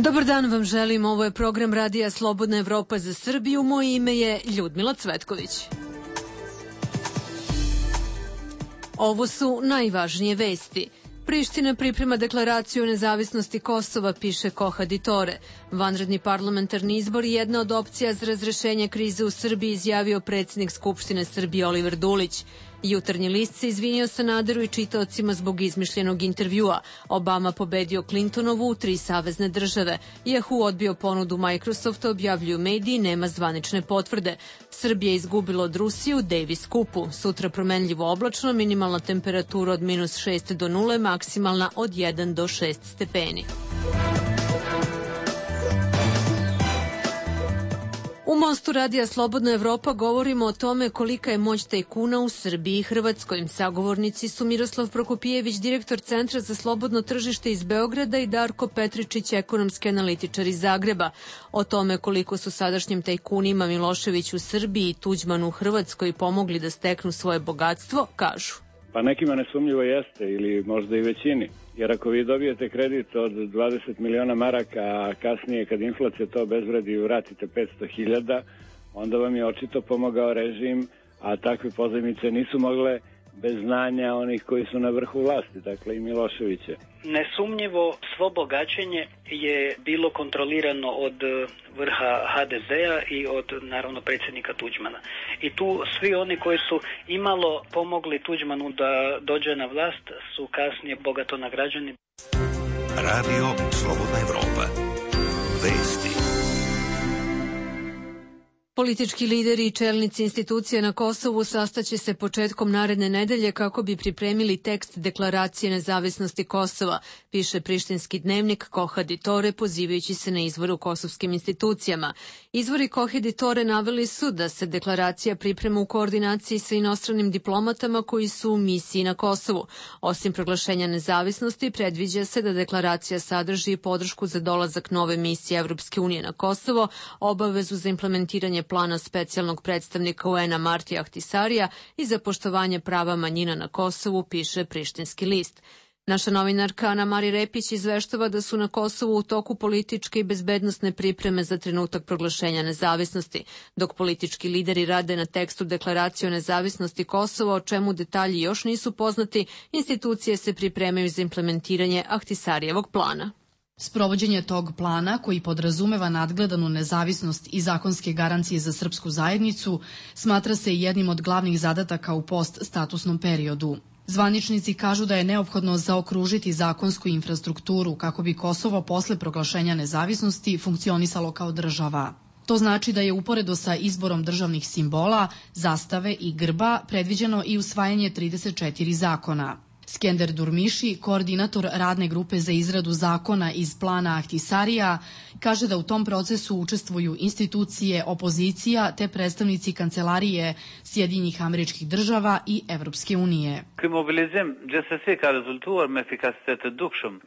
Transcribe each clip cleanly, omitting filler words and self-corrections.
Dobar dan vam želim, ovo je program Radija Slobodna Evropa za Srbiju, moje ime je Ljudmila Cvetković. Ovo su najvažnije vesti. Priština priprema deklaraciju o nezavisnosti Kosova, piše Kohaditore. Vanredni parlamentarni izbor je jedna od opcija za razrešenje krize u Srbiji, izjavio predsjednik Skupštine Srbije Oliver Dulić. Jutarnji list se izvinio Sanaderu i čitaocima zbog izmišljenog intervjua. Obama pobedio Clintonovu u 3 savezne države. Yahoo odbio ponudu Microsofta, objavljuju mediji, nema zvanične potvrde. Srbija izgubila od Rusije u Davis Cupu. Sutra promenljivo oblačno, minimalna temperatura od -6 do 0, maksimalna od 1 do 6 stepeni. U Mostu Radija Slobodna Evropa govorimo o tome kolika je moć tajkuna u Srbiji i Hrvatskoj. Sagovornici su Miroslav Prokopijević, direktor Centra za slobodno tržište iz Beograda, i Darko Petričić, ekonomski analitičar iz Zagreba. O tome koliko su sadašnjim tajkunima Milošević u Srbiji i Tuđman u Hrvatskoj pomogli da steknu svoje bogatstvo, kažu. Pa nekima nesumnjivo jeste, ili možda i većini. Jer ako vi dobijete kredit od 20 miliona maraka, a kasnije kad inflacija to obezvredi i vratite 500.000, onda vam je očito pomogao režim, a takve pozajmice nisu mogle bez znanja onih koji su na vrhu vlasti, dakle i Miloševića. Nesumnjivo svo bogaćenje je bilo kontrolirano od vrha HDZ-a i od, naravno, predsjednika Tuđmana. I tu svi oni koji su imalo pomogli Tuđmanu da dođe na vlast su kasnije bogato nagrađeni. Radio Slobodna Evropa. Vesti. Politički lideri i čelnici institucija na Kosovu sastaće se početkom naredne nedelje kako bi pripremili tekst deklaracije nezavisnosti Kosova, piše prištinski dnevnik Kohaditore, pozivajući se na izvore u kosovskim institucijama. Izvori Kohaditore naveli su da se deklaracija priprema u koordinaciji sa inostranim diplomatama koji su u misiji na Kosovu. Osim proglašenja nezavisnosti, predviđa se da deklaracija sadrži podršku za dolazak nove misije Evropske unije na Kosovo, obavezu za implementiranje plana specijalnog predstavnika UN-a Martija Ahtisarija i za poštovanje prava manjina na Kosovu, piše prištinski list. Naša novinarka Ana Mari Repić izveštava da su na Kosovu u toku političke i bezbednosne pripreme za trenutak proglašenja nezavisnosti, dok politički lideri rade na tekstu deklaracije o nezavisnosti Kosova, o čemu detalji još nisu poznati, institucije se pripremaju za implementiranje Ahtisarijevog plana. Sprovođenje tog plana, koji podrazumeva nadgledanu nezavisnost i zakonske garancije za srpsku zajednicu, smatra se jednim od glavnih zadataka u post-statusnom periodu. Zvaničnici kažu da je neophodno zaokružiti zakonsku infrastrukturu kako bi Kosovo posle proglašenja nezavisnosti funkcionisalo kao država. To znači da je uporedo sa izborom državnih simbola, zastave i grba predviđeno i usvajanje 34 zakona. Skender Durmiši, koordinator radne grupe za izradu zakona iz plana Ahtisarija, kaže da u tom procesu učestvuju institucije, opozicija te predstavnici kancelarije Sjedinjenih Američkih Država i Evropske unije.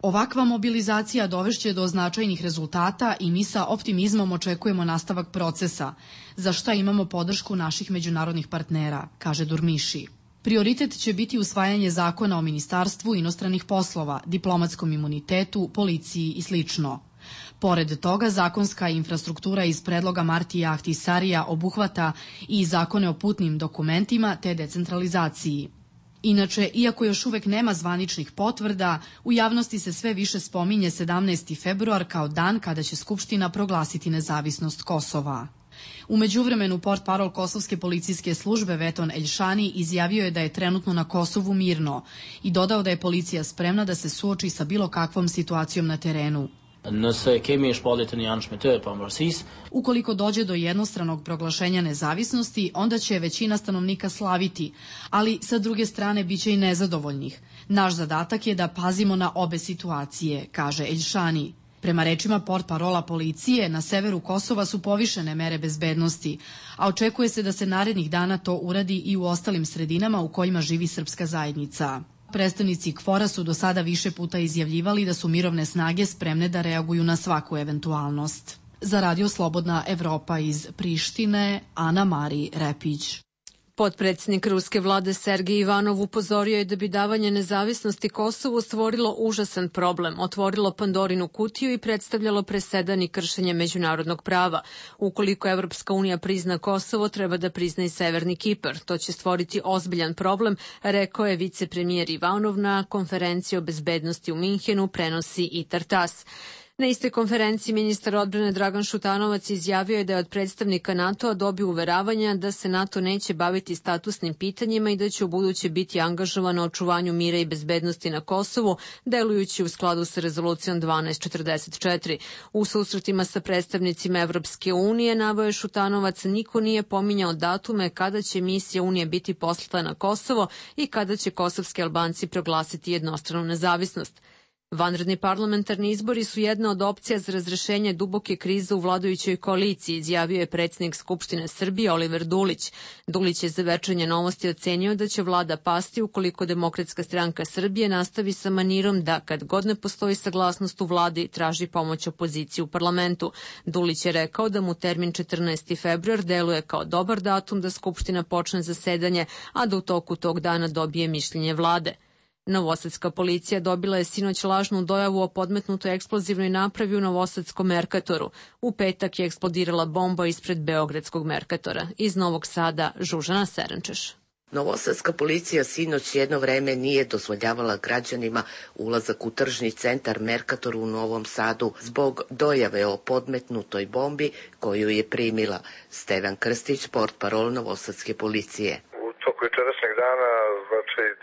Ovakva mobilizacija dovešće do značajnih rezultata i mi sa optimizmom očekujemo nastavak procesa, za šta imamo podršku naših međunarodnih partnera, kaže Durmiši. Prioritet će biti usvajanje zakona o Ministarstvu inostranih poslova, diplomatskom imunitetu, policiji i sl. Pored toga, zakonska infrastruktura iz predloga Martija Ahtisarija obuhvata i zakone o putnim dokumentima te decentralizaciji. Inače, iako još uvek nema zvaničnih potvrda, u javnosti se sve više spominje 17. februar kao dan kada će Skupština proglasiti nezavisnost Kosova. U međuvremenu portparol Kosovske policijske službe Veton Eljšani izjavio je da je trenutno na Kosovu mirno i dodao da je policija spremna da se suoči sa bilo kakvom situacijom na terenu. Ukoliko dođe do jednostranog proglašenja nezavisnosti, onda će većina stanovnika slaviti, ali sa druge strane biće i nezadovoljnih. Naš zadatak je da pazimo na obe situacije, kaže Eljšani. Prema rečima portparola policije, na severu Kosova su povišene mere bezbednosti, a očekuje se da se narednih dana to uradi i u ostalim sredinama u kojima živi srpska zajednica. Predstavnici KFOR-a su do sada više puta izjavljivali da su mirovne snage spremne da reaguju na svaku eventualnost. Za Radio Slobodna Evropa iz Prištine, Ana Mari Repić. Potpredsjednik ruske vlade Sergej Ivanov upozorio je da bi davanje nezavisnosti Kosovu stvorilo užasan problem, otvorilo Pandorinu kutiju i predstavljalo presedan i kršenje međunarodnog prava. Ukoliko Evropska unija prizna Kosovo, treba da prizna i Severni Kipar. To će stvoriti ozbiljan problem, rekao je vicepremijer Ivanov na konferenciji o bezbednosti u Minhenu, prenosi i Tartas. Na istoj konferenciji ministar odbrane Dragan Šutanovac izjavio je da je od predstavnika NATO-a dobio uveravanja da se NATO neće baviti statusnim pitanjima i da će ubuduće biti angažovan na očuvanju mira i bezbednosti na Kosovu, delujući u skladu sa rezolucijom 1244. U susretima sa predstavnicima Evropske unije, naveo je Šutanovac, niko nije pominjao datume kada će misija Unije biti poslata na Kosovo i kada će kosovski Albanci proglasiti jednostranu nezavisnost. Vanredni parlamentarni izbori su jedna od opcija za razrešenje duboke krize u vladajućoj koaliciji, izjavio je predsjednik Skupštine Srbije Oliver Dulić. Dulić je za Večernje novosti ocenio da će vlada pasti ukoliko Demokratska stranka Srbije nastavi sa manirom da, kad god ne postoji saglasnost u vladi, traži pomoć opoziciji u parlamentu. Dulić je rekao da mu termin 14. februar deluje kao dobar datum da Skupština počne zasedanje, a da u toku tog dana dobije mišljenje vlade. Novosadska policija dobila je sinoć lažnu dojavu o podmetnutoj eksplozivnoj napravi u Novosadskom Merkatoru. U petak je eksplodirala bomba ispred Beogradskog Merkatora. Iz Novog Sada, Žužana Serenčeš. Novosadska policija sinoć jedno vreme nije dozvoljavala građanima ulazak u tržni centar Merkator u Novom Sadu zbog dojave o podmetnutoj bombi koju je primila. Stevan Krstić, portparol Novosadske policije. U toku jučerašnjeg dana,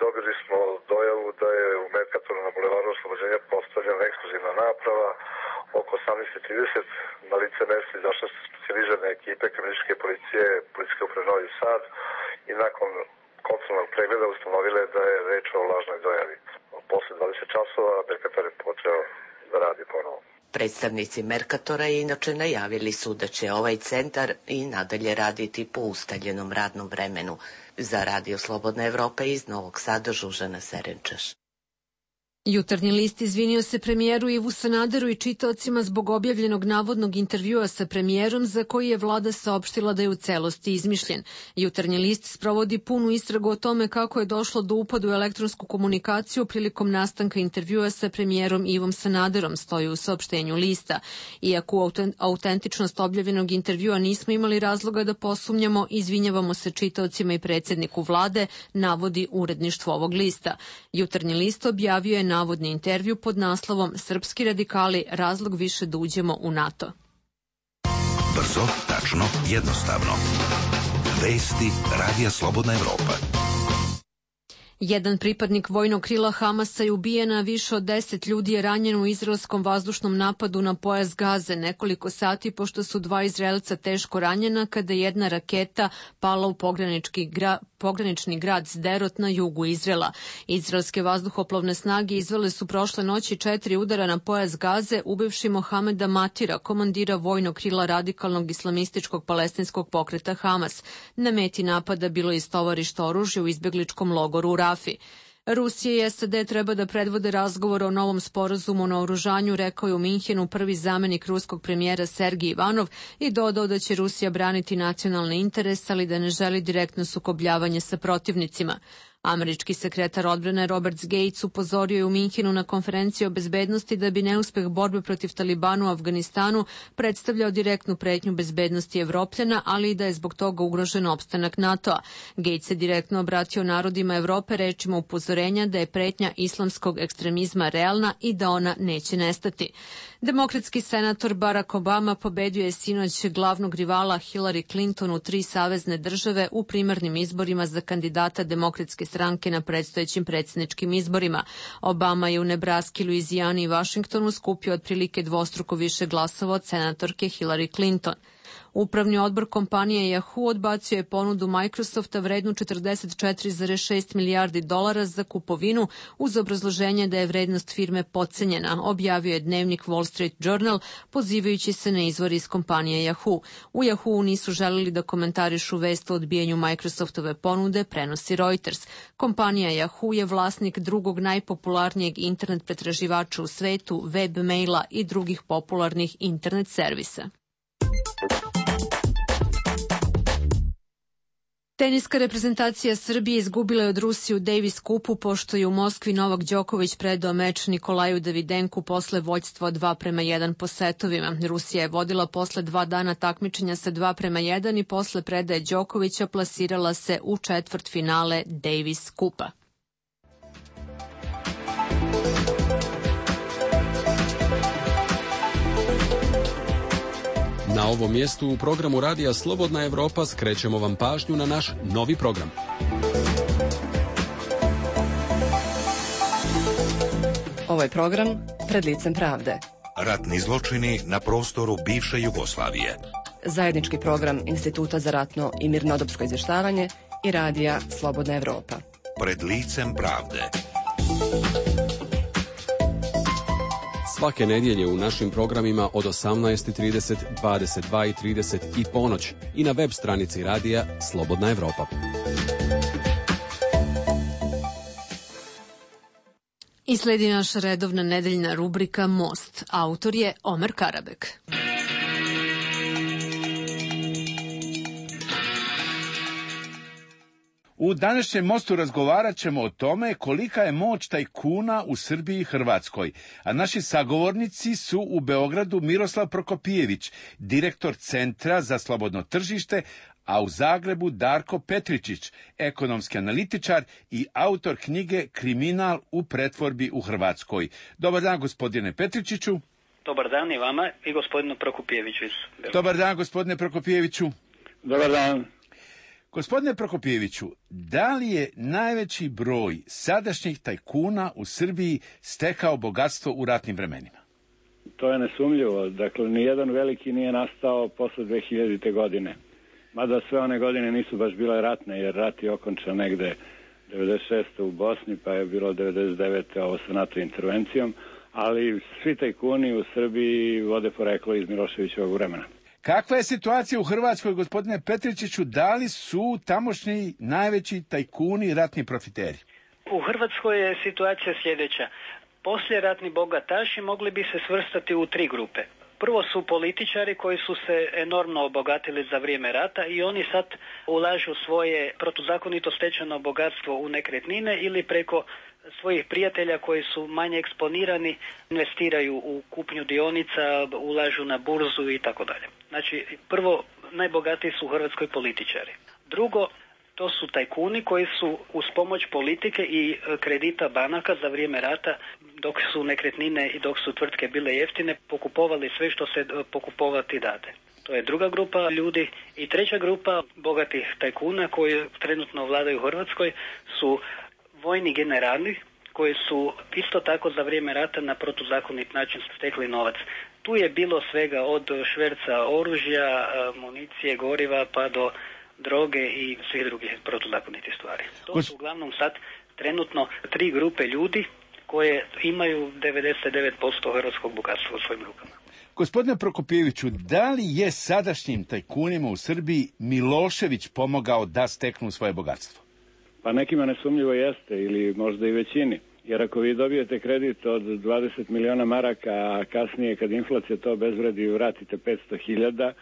dobili smo dojavu da je u Merkatoru na bulevaru Oslobođenja postavljena eksplozivna naprava. Oko 18:30 na lice mesta izašle su specijalizirane ekipe kriminalističke policije, policijske uprave Novi Sad i nakon kontrolnog pregleda ustanovile da je reč o lažnoj dojavi. Posle 20 časova Merkator je počeo da radi ponovo. Predstavnici Merkatora inače najavili su da će ovaj centar i nadalje raditi po ustaljenom radnom vremenu. Za Radio Slobodna Evropa iz Novog Sada, Žužana Serenčeš. Jutarnji list izvinio se premijeru Ivu Sanaderu i čitaocima zbog objavljenog navodnog intervjua sa premijerom za koji je vlada saopštila da je u celosti izmišljen. Jutarnji list sprovodi punu istragu o tome kako je došlo do upada u elektronsku komunikaciju prilikom nastanka intervjua sa premijerom Ivom Sanaderom, stoji u saopštenju lista. Iako u autentičnost objavljenog intervjua nismo imali razloga da posumnjamo, izvinjavamo se čitaocima i predsjedniku vlade, navodi uredništvo ovog lista. Jutarnji list objavio je navodni intervju pod naslovom Srpski radikali, razlog više da uđemo u NATO. Brzo, tačno, jednostavno. Vesti Radija Slobodna Evropa. Jedan pripadnik vojnog krila Hamasa je ubijen, a više od 10 ljudi je ranjeno u izraelskom vazdušnom napadu na pojas Gaze nekoliko sati pošto su 2 Izraelca teško ranjena kada je jedna raketa pala u pogranični grad Sderot na jugu Izraela. Izraelske vazduhoplovne snage izvele su prošle noći 4 udara na pojas Gaze, ubivši Mohameda Matira, komandira vojnog krila radikalnog islamističkog palestinskog pokreta Hamas. Na meti napada bilo je istovarište oružja u izbegličkom logoru u Rafi. Rusija i SAD treba da predvode razgovor o novom sporazumu o naoružanju, rekao je u Minhenu prvi zamenik ruskog premijera Sergej Ivanov i dodao da će Rusija braniti nacionalne interese, ali da ne želi direktno sukobljavanje sa protivnicima. Američki sekretar odbrane Robert Gates upozorio je u Minhenu na konferenciji o bezbednosti da bi neuspeh borbe protiv Talibanu u Afganistanu predstavljao direktnu pretnju bezbednosti Evropljana, ali i da je zbog toga ugrožen opstanak NATO-a. Gates se direktno obratio narodima Evrope rečima upozorenja da je pretnja islamskog ekstremizma realna i da ona neće nestati. Demokratski senator Barack Obama pobedio je sinoć glavnog rivala Hillary Clinton u 3 savezne države u primarnim izborima za kandidata Demokratske stranke na predstojećim predsjedničkim izborima. Obama je u Nebraski, Luizijani i Vašingtonu skupio otprilike dvostruko više glasova od senatorke Hillary Clinton. Upravni odbor kompanije Yahoo odbacio je ponudu Microsofta vrednu $44,6 milijardi za kupovinu uz obrazloženje da je vrednost firme potcenjena, objavio je dnevnik Wall Street Journal pozivajući se na izvor iz kompanije Yahoo. U Yahoo nisu želeli da komentarišu vest o odbijanju Microsoftove ponude, prenosi Reuters. Kompanija Yahoo je vlasnik drugog najpopularnijeg internet pretraživača u svetu, web-maila i drugih popularnih internet servisa. Teniska reprezentacija Srbije izgubila je od Rusije u Davis kupu, pošto je u Moskvi Novak Đoković predao meč Nikolaju Davidenku posle vođstva 2:1 po setovima. Rusija je vodila posle 2 dana takmičenja sa 2:1 i posle predaje Đokovića plasirala se u četvrtfinale Davis kupa. Na ovom mjestu u programu Radija Slobodna Evropa skrećemo vam pažnju na naš novi program. Ovo je program Pred licem pravde. Ratni zločini na prostoru bivše Jugoslavije. Zajednički program Instituta za ratno i mirnodopsko izvještavanje i Radija Slobodna Evropa. Pred licem pravde. Svake nedjelje u našim programima od 18:30, 22:30 i ponoć i na web stranici Radija Slobodna Evropa. I sledi naša redovna nedeljna rubrika Most. Autor je Omer Karabek. U današnjem Mostu razgovarat ćemo o tome kolika je moć tajkuna u Srbiji i Hrvatskoj, a naši sagovornici su u Beogradu Miroslav Prokopijević, direktor Centra za slobodno tržište, a u Zagrebu Darko Petričić, ekonomski analitičar i autor knjige Kriminal u pretvorbi u Hrvatskoj. Dobar dan, gospodine Petričiću. Dobar dan i vama i gospodinu Prokopijeviću. Dobar dan, gospodine Prokopijeviću. Dobar dan. Gospodine Prokopijeviću, da li je najveći broj sadašnjih tajkuna u Srbiji stekao bogatstvo u ratnim vremenima? To je nesumljivo. Dakle, nijedan veliki nije nastao posle 2000. godine. Mada sve one godine nisu baš bile ratne, jer rat je okončan negde 96. u Bosni, pa je bilo 99. ovo sa NATO intervencijom, ali svi tajkuni u Srbiji vode poreklo iz Miloševićevog vremena. Kakva je situacija u Hrvatskoj, gospodine Petričiću? Da li su tamošnji najveći tajkuni ratni profiteri? U Hrvatskoj je situacija sljedeća. Poslije ratni bogataši mogli bi se svrstati u 3 grupe. Prvo su političari koji su se enormno obogatili za vrijeme rata i oni sad ulažu svoje protuzakonito stečeno bogatstvo u nekretnine ili preko svojih prijatelja koji su manje eksponirani investiraju u kupnju dionica, ulažu na burzu i tako dalje. Znači, prvo, najbogatiji su u Hrvatskoj političari. Drugo, to su tajkuni koji su uz pomoć politike i kredita banaka za vrijeme rata, dok su nekretnine i dok su tvrtke bile jeftine, pokupovali sve što se pokupovati dade. To je druga grupa ljudi. I treća grupa bogatih tajkuna koji trenutno vladaju u Hrvatskoj su vojni generali koji su isto tako za vrijeme rata na protuzakonit način stekli novac. Tu je bilo svega od šverca oružja, municije, goriva pa do droge i svih drugih protuzakonitih stvari. To su uglavnom sad trenutno 3 grupe ljudi koje imaju 99% hrvatskog bogatstva u svojim rukama. Gospodine Prokopijeviću, da li je sadašnjim tajkunima u Srbiji Milošević pomogao da steknu svoje bogatstvo? Pa nekima nesumljivo jeste, ili možda i većini. Jer ako vi dobijete kredit od 20 miliona maraka, a kasnije kad inflacija to obezvredi i vratite 500.000,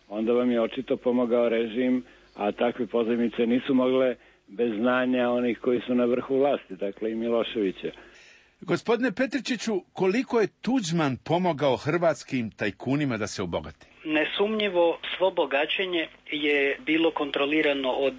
onda vam je očito pomogao režim, a takve pozajmice nisu mogle bez znanja onih koji su na vrhu vlasti, dakle i Miloševića. Gospodine Petričiću, koliko je Tuđman pomogao hrvatskim tajkunima da se obogate? Nesumnjivo svo bogaćenje je bilo kontrolirano od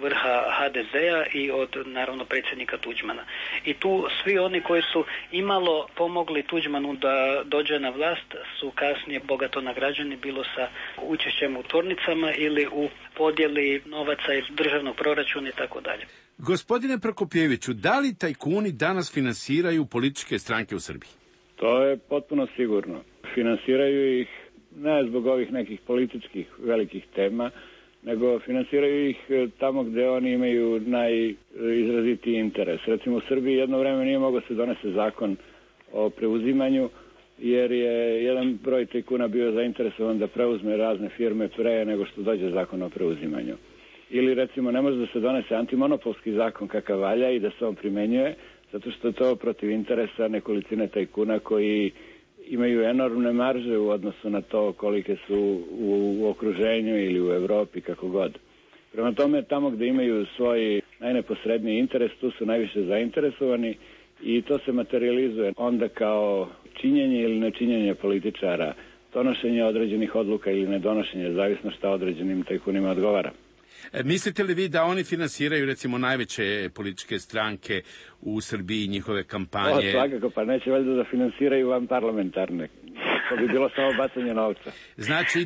vrha HDZ-a i od naravno predsjednika Tuđmana. I tu svi oni koji su imalo pomogli Tuđmanu da dođe na vlast su kasnije bogato nagrađeni, bilo sa učešćem u tvornicama ili u podjeli novaca iz državnog proračuna i tako dalje. Gospodine Prokopijeviću, da li tajkuni danas finansiraju političke stranke u Srbiji? To je potpuno sigurno. Finansiraju ih ne zbog ovih nekih političkih velikih tema, nego finansiraju ih tamo gde oni imaju najizrazitiji interes. Recimo u Srbiji jedno vreme nije mogao se donese zakon o preuzimanju, jer je jedan broj tajkuna bio zainteresovan da preuzme razne firme pre nego što dođe zakon o preuzimanju. Ili recimo ne može da se donese antimonopolski zakon kakav valja i da se on primenjuje, zato što je to protiv interesa nekolicine tajkuna koji imaju enormne marže u odnosu na to kolike su u okruženju ili u Evropi, kako god. Prema tome, tamo gde imaju svoj najneposredniji interes, tu su najviše zainteresovani i to se materializuje onda kao činjenje ili nečinjenje političara, donošenje određenih odluka ili nedonošenje, zavisno šta određenim tajkunima odgovara. Mislite li vi da oni finansiraju recimo najveće političke stranke u Srbiji, njihove kampanje? Svakako, pa neće valjda da finansiraju van parlamentarne. To bi bilo samo bacanje novca. Znači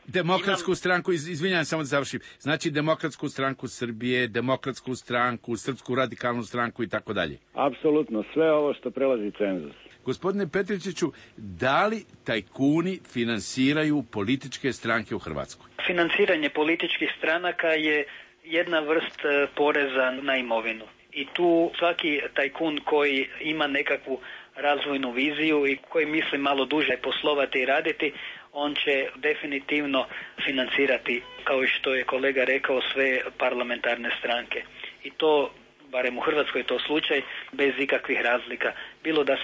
Demokratsku stranku, izvinjam samo da završim, znači Demokratsku stranku Srbije, Demokratsku stranku, Srpsku radikalnu stranku i tako dalje. Apsolutno, sve ovo što prelazi cenzus. Gospodine Petričiću, da li tajkuni finansiraju političke stranke u Hrvatskoj? Finansiranje političkih stranaka je jedna vrst poreza na imovinu. I tu svaki tajkun koji ima nekakvu razvojnu viziju i koji misli malo duže poslovati i raditi, on će definitivno financirati, kao i što je kolega rekao, sve parlamentarne stranke. I to, barem u Hrvatskoj je to slučaj, bez ikakvih razlika. Bilo da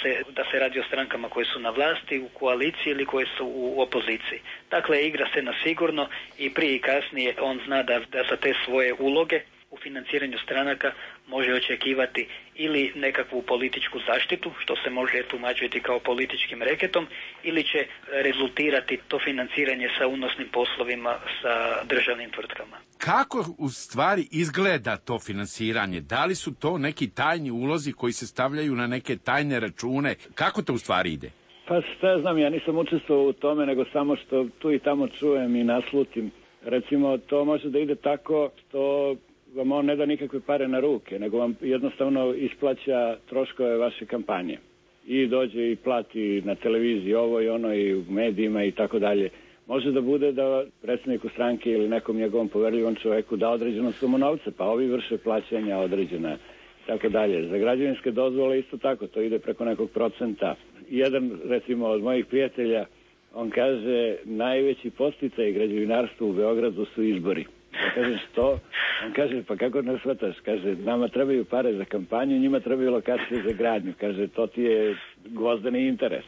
se radi o strankama koje su na vlasti, u koaliciji ili koje su u opoziciji. Dakle, igra se na sigurno i prije i kasnije on zna da za te svoje uloge u financiranju stranaka može očekivati ili nekakvu političku zaštitu, što se može tumačiti kao političkim reketom, ili će rezultirati to financiranje sa unosnim poslovima sa državnim tvrtkama. Kako u stvari izgleda to finansiranje? Da li su to neki tajni ulozi koji se stavljaju na neke tajne račune? Kako to u stvari ide? Pa šta znam, ja nisam učestvovao u tome, nego samo što tu i tamo čujem i naslutim. Recimo, to može da ide tako što vam on ne da nikakve pare na ruke, nego vam jednostavno isplaća troškove vaše kampanje. I dođe i plati na televiziji ovo i ono i u medijima i tako dalje. Može da bude da predsjedniku stranke ili nekom njegovom poverljivom čoveku da određenu sumu novca, pa ovi vrše plaćanja određena i tako dalje. Za građevinske dozvole isto tako, to ide preko nekog procenta. Jedan, recimo, od mojih prijatelja, on kaže, najveći podsticaj građevinarstva u Beogradu su izbori. Ja kažem, što? On kaže, pa kako ne shvataš? Kaže, nama trebaju pare za kampanju, njima trebaju lokacije za gradnju. Kaže, to ti je gvozdeni interes.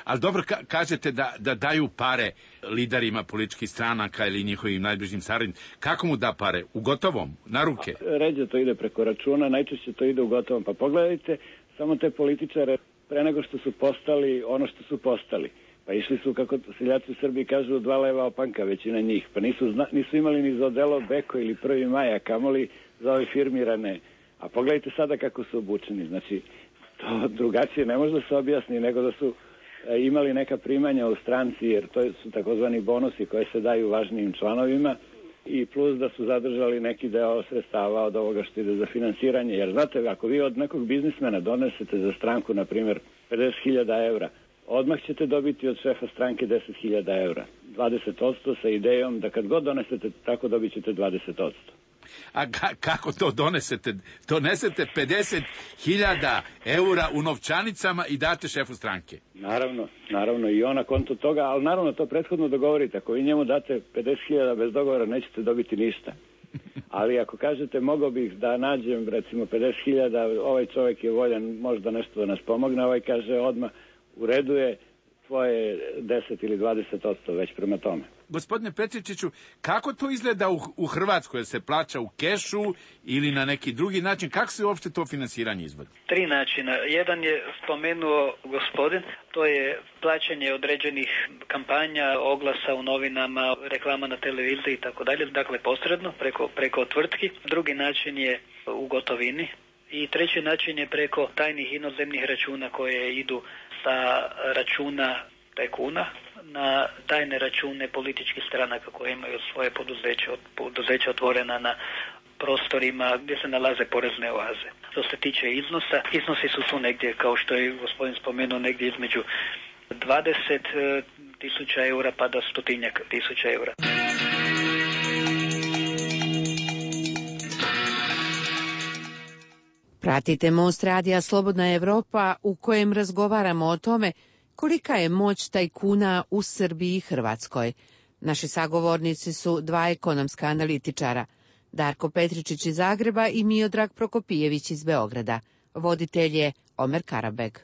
Ali dobro, kažete da daju pare liderima političkih stranaka ili njihovim najbližim saradnicima. Kako mu da pare? U gotovom? Na ruke? Ređe to ide preko računa, najčešće to ide u gotovom. Pa pogledajte samo te političare pre nego što su postali ono što su postali. Pa išli su, kako seljaci u Srbiji kažu, 2 leva opanka, većina njih. Pa nisu imali ni za odelo Beko ili 1. maj, a kamoli za ove firmirane. A pogledajte sada kako su obučeni. Znači, to drugačije ne može da se objasni nego da su imali neka primanja u stranci, jer to su takozvani bonusi koje se daju važnijim članovima, i plus da su zadržali neki deo sredstava od ovoga što ide za finansiranje. Jer znate, ako vi od nekog biznismena donesete za stranku, na primjer, 50.000 evra, odmah ćete dobiti od šefa stranke 10.000 evra. 20% sa idejom da kad god donesete tako dobit ćete 20%. A kako to donesete? Donesete 50.000 eura u novčanicama i date šefu stranke? Naravno i on na konto toga, ali naravno to prethodno dogovorite. Ako vi njemu date 50.000 bez dogovora, nećete dobiti ništa. Ali ako kažete, mogao bih da nađem recimo 50.000, ovaj čovjek je voljan možda nešto da nas pomogne, ovaj kaže odmah, u redu je, tvoje 10 ili 20% već prema tome. Gospodine Petričiću, kako to izgleda u Hrvatskoj? Jel se plaća u kešu ili na neki drugi način? Kako se uopšte to finansiranje izvodi? 3 načina. Jedan je spomenuo gospodin, to je plaćanje određenih kampanja, oglasa u novinama, reklama na televiziji i tako dalje, dakle posredno, preko tvrtki. Drugi način je u gotovini. I treći način je preko tajnih inozemnih računa koje idu sa računa tajkuna na tajne račune političkih stranaka koje imaju svoje poduzeća otvorena na prostorima gdje se nalaze porezne oaze. Što se tiče iznosi su tu negdje, kao što je gospodin spomenuo, negdje između 20.000 eura pa do 100.000 eura. Pratite Most radija Slobodna Evropa, u kojem razgovaramo o tome kolika je moć tajkuna u Srbiji i Hrvatskoj. Naši sagovornici su 2 ekonomska analitičara, Darko Petričić iz Zagreba i Miodrag Prokopijević iz Beograda. Voditelj je Omer Karabeg.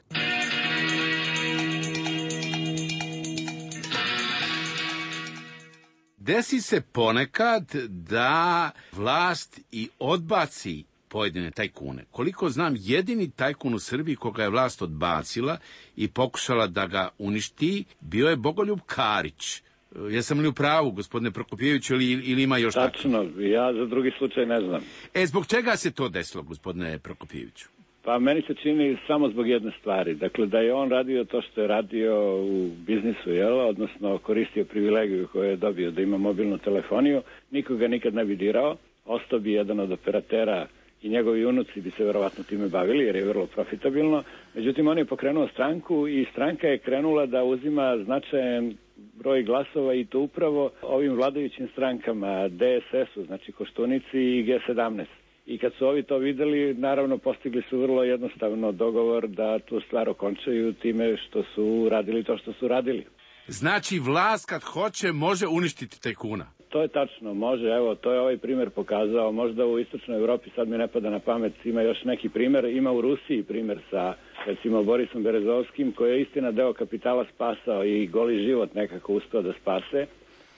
desi se ponekad da vlast i odbaci pojedine tajkune. Koliko znam, jedini tajkun u Srbiji koga je vlast odbacila i pokušala da ga uništi, bio je Bogoljub Karić. Jesam li u pravu, gospodine Prokopijeviću, ili ima još tako? Tačno, ja za drugi slučaj ne znam. Zbog čega se to desilo, gospodine Prokopijeviću? Pa meni se čini samo zbog jedne stvari. Dakle, da je on radio to što je radio u biznisu, odnosno koristio privilegiju koju je dobio da ima mobilnu telefoniju, nikoga nikad ne bi dirao, ostao bi jedan od operatera i njegovi unuci bi se verovatno time bavili jer je vrlo profitabilno. Međutim, on je pokrenuo stranku i stranka je krenula da uzima značajan broj glasova i to upravo ovim vladajućim strankama, DSS-u, znači Koštunici i G17. I kad su ovi to videli, naravno postigli su vrlo jednostavno dogovor da tu stvar okončaju time što su radili to što su radili. Znači, vlast kad hoće može uništiti tajkuna? To je tačno, može, evo, to je ovaj primjer pokazao, možda u istočnoj Evropi, sad mi ne pada na pamet, ima još neki primjer, ima u Rusiji primjer sa, recimo, Borisom Berezovskim, koji je istina deo kapitala spasao i goli život nekako uspeo da spase,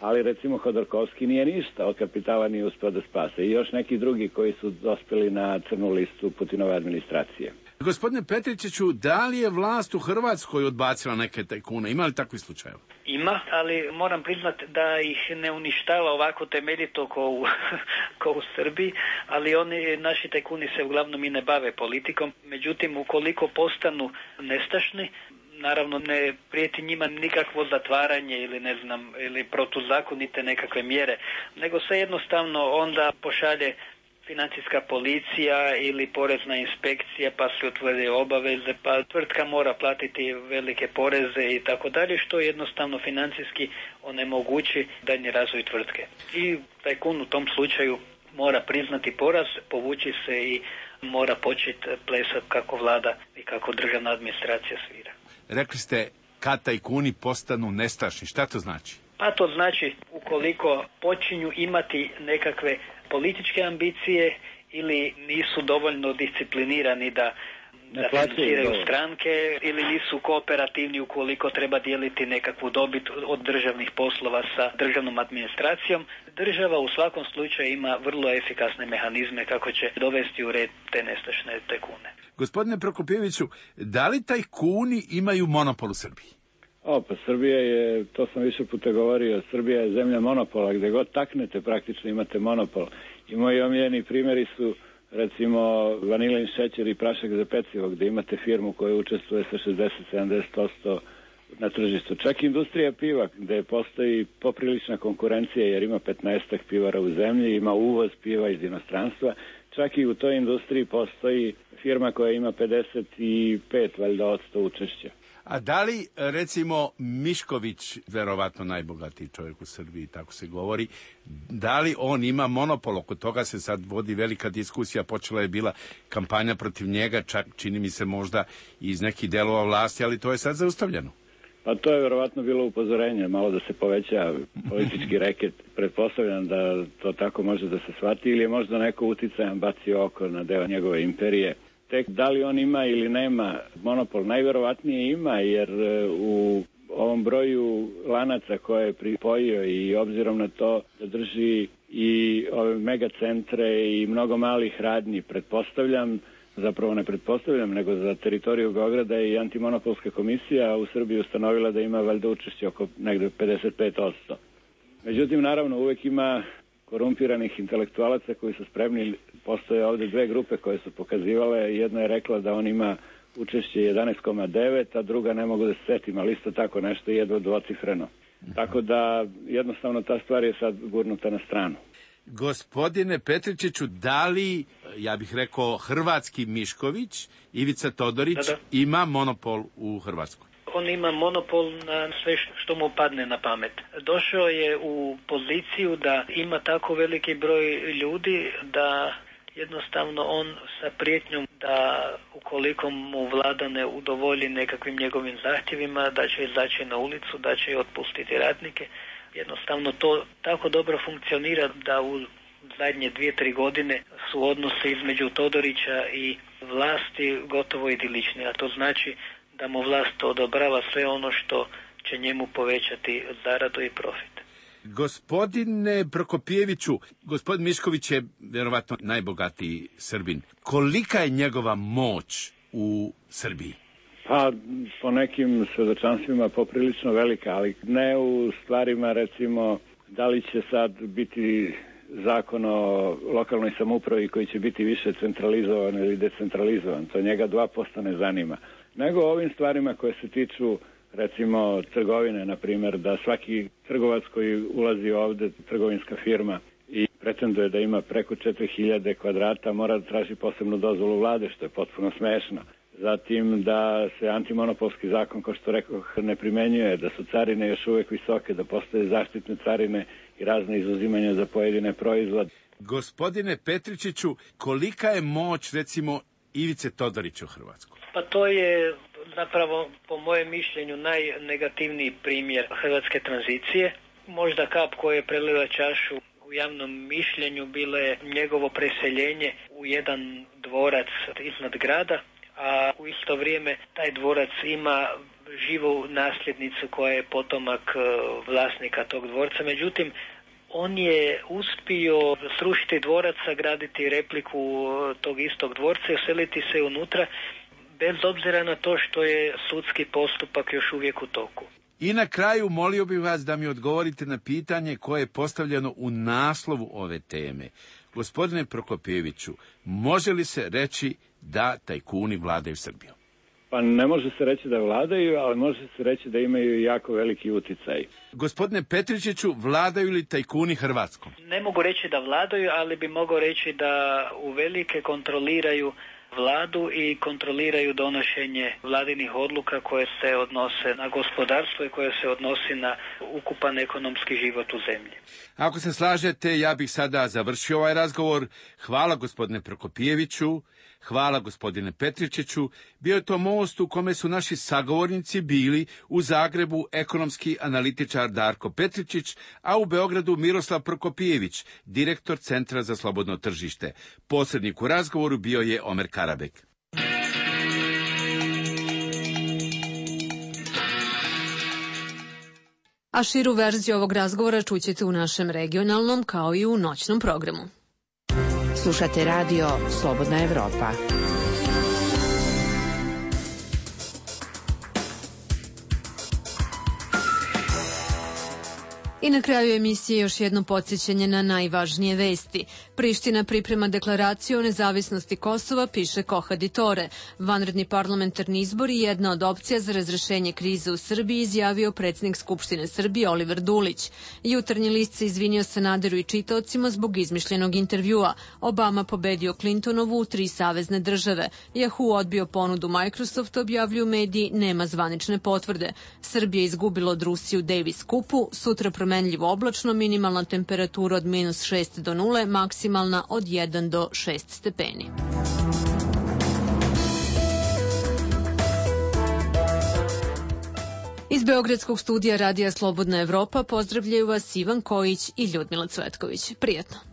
ali recimo Hodorkovski nije ništa od kapitala nije uspeo da spase i još neki drugi koji su dospeli na crnu listu Putinove administracije. Gospodine Petričiću, da li je vlast u Hrvatskoj odbacila neke tajkune? Ima li takvi slučajeva? Ima, ali moram priznati da ih ne uništava ovako temeljito ko u Srbiji, ali oni, naši tajkuni se uglavnom i ne bave politikom. Međutim, ukoliko postanu nestašni, naravno ne prijeti njima nikakvo zatvaranje ili protuzakonite nekakve mjere, nego se jednostavno onda pošalje financijska policija ili porezna inspekcija, pa se utvrde obaveze, pa tvrtka mora platiti velike poreze i tako dalje, što jednostavno financijski onemogući daljnji razvoj tvrtke. I tajkun u tom slučaju mora priznati poraz, povući se i mora početi plesati kako vlada i kako državna administracija svira. Rekli ste kad tajkuni postanu nestašni. Šta to znači? Pa to znači ukoliko počinju imati nekakve političke ambicije ili nisu dovoljno disciplinirani da financiraju stranke ili nisu kooperativni ukoliko treba dijeliti nekakvu dobit od državnih poslova sa državnom administracijom. Država u svakom slučaju ima vrlo efikasne mehanizme kako će dovesti u red te nestašne tajkune. Gospodine Prokopijeviću, da li tajkuni imaju monopol u Srbiji? Pa Srbija je, to sam više puta govorio, Srbija je zemlja monopola, gde god taknete praktično imate monopol. I moji omiljeni primjeri su recimo vanilin šećer i prašak za pecivo, gde imate firmu koja učestvuje sa 60-70% na tržištu. Čak i industrija piva, gde postoji poprilična konkurencija jer ima 15 pivara u zemlji, ima uvoz piva iz inostranstva. Čak i u toj industriji postoji firma koja ima 55% učešća. A da li, recimo, Mišković, verovatno najbogatiji čovjek u Srbiji, tako se govori, da li on ima monopol? Oko toga se sad vodi velika diskusija, počela je bila kampanja protiv njega, čak čini mi se možda iz nekih delova vlasti, ali to je sad zaustavljeno. Pa to je verovatno bilo upozorenje, malo da se poveća politički reket. Pretpostavljam da to tako može da se shvati ili je možda neko uticajan bacio oko na deo njegove imperije. Tek da li on ima ili nema monopol, najverovatnije ima, jer u ovom broju lanaca koje je pripojio i obzirom na to da drži i ove megacentre i mnogo malih radnji, pretpostavljam, zapravo ne pretpostavljam, nego za teritoriju Beograda i antimonopolska komisija u Srbiji ustanovila da ima valjda učešće oko negde 55%. Međutim, naravno, uvek ima korumpiranih intelektualaca koji su spremni. Postoje ovde dve grupe koje su pokazivale. Jedna je rekla da on ima učešće 11,9, a druga ne mogu da se setim, ali isto tako nešto jedva dvocifreno. Tako da jednostavno ta stvar je sad gurnuta na stranu. Gospodine Petričiću, da li, ja bih rekao, hrvatski Mišković, Ivica Todorić, ima monopol u Hrvatskoj? On ima monopol na sve što mu padne na pamet. Došao je u poziciju da ima tako veliki broj ljudi da jednostavno on sa prijetnjom da ukoliko mu vlada ne udovolji nekakvim njegovim zahtjevima, da će izaći na ulicu, da će otpustiti radnike. Jednostavno to tako dobro funkcionira da u zadnje 2-3 godine su odnose između Todorića i vlasti gotovo idilični, a to znači da da mu vlast odobrava sve ono što će njemu povećati zaradu i profit. Gospodine Prokopijeviću, gospodin Mišković je vjerovatno najbogatiji Srbin. Kolika je njegova moć u Srbiji? Pa, po nekim svedočanstvima poprilično velika, ali ne u stvarima, recimo, da li će sad biti zakon o lokalnoj samoupravi koji će biti više centralizovan ili decentralizovan. To njega 2% ne zanima. Nego ovim stvarima koje se tiču, recimo, trgovine, na primjer, da svaki trgovac koji ulazi ovde, trgovinska firma, i pretenduje da ima preko 4000 kvadrata, mora da traži posebnu dozvolu vlade, što je potpuno smešno. Zatim da se antimonopolski zakon, kao što rekoh, ne primenjuje, da su carine još uvek visoke, da postoje zaštitne carine i razne izuzimanja za pojedine proizvode. Gospodine Petričiću, kolika je moć, recimo, Ivice Todorića u Hrvatskoj? Pa to je zapravo, po mojem mišljenju, najnegativniji primjer hrvatske tranzicije. Možda kap koja je prelila čašu u javnom mišljenju bilo je njegovo preseljenje u jedan dvorac iznad grada, a u isto vrijeme taj dvorac ima živu nasljednicu koja je potomak vlasnika tog dvorca. Međutim, on je uspio srušiti dvorac, sagraditi repliku tog istog dvorca i useliti se unutra, bez obzira na to što je sudski postupak još uvijek u toku. I na kraju molio bih vas da mi odgovorite na pitanje koje je postavljeno u naslovu ove teme. Gospodine Prokopijeviću, može li se reći da tajkuni vladaju Srbijom? Pa ne može se reći da vladaju, ali može se reći da imaju jako veliki uticaj. Gospodine Petričiću, vladaju li tajkuni Hrvatskom? Ne mogu reći da vladaju, ali bi mogao reći da uvelike kontroliraju vladu i kontroliraju donošenje vladinih odluka koje se odnose na gospodarstvo i koje se odnosi na ukupan ekonomski život u zemlji. Ako se slažete, ja bih sada završio ovaj razgovor. Hvala gospodine Prokopijeviću, hvala gospodine Petričiću. Bio je to most u kome su naši sagovornici bili u Zagrebu ekonomski analitičar Darko Petričić, a u Beogradu Miroslav Prokopijević, direktor Centra za slobodno tržište. Posrednik u razgovoru bio je Omer Karabek. A širu verziju ovog razgovora čućete u našem regionalnom kao i u noćnom programu. Slušate radio Slobodna Evropa. I na kraju emisije još jedno podsjećanje na najvažnije vesti. Priština priprema deklaraciju o nezavisnosti Kosova, piše Kohadi Tore. Vanredni parlamentarni izbori je jedna od opcija za razrešenje krize u Srbiji, izjavio predsjednik Skupštine Srbije Oliver Dulić. Jutarnji list se izvinio Sanaderu i čitaocima zbog izmišljenog intervjua. Obama pobedio Clintonovu u 3 savezne države. Yahoo odbio ponudu Microsoft, objavljuju mediji, nema zvanične potvrde. Srbija izgubila od Rusije u Davis Cupu, sutra promenljivo oblačno, minimalna temperatura od -6 do 0, maksimalna od 1 do 6 stepeni. Iz Beogradskog studija Radija Slobodna Evropa pozdravljaju vas Ivan Kojić i Ljudmila Cvetković. Prijetno!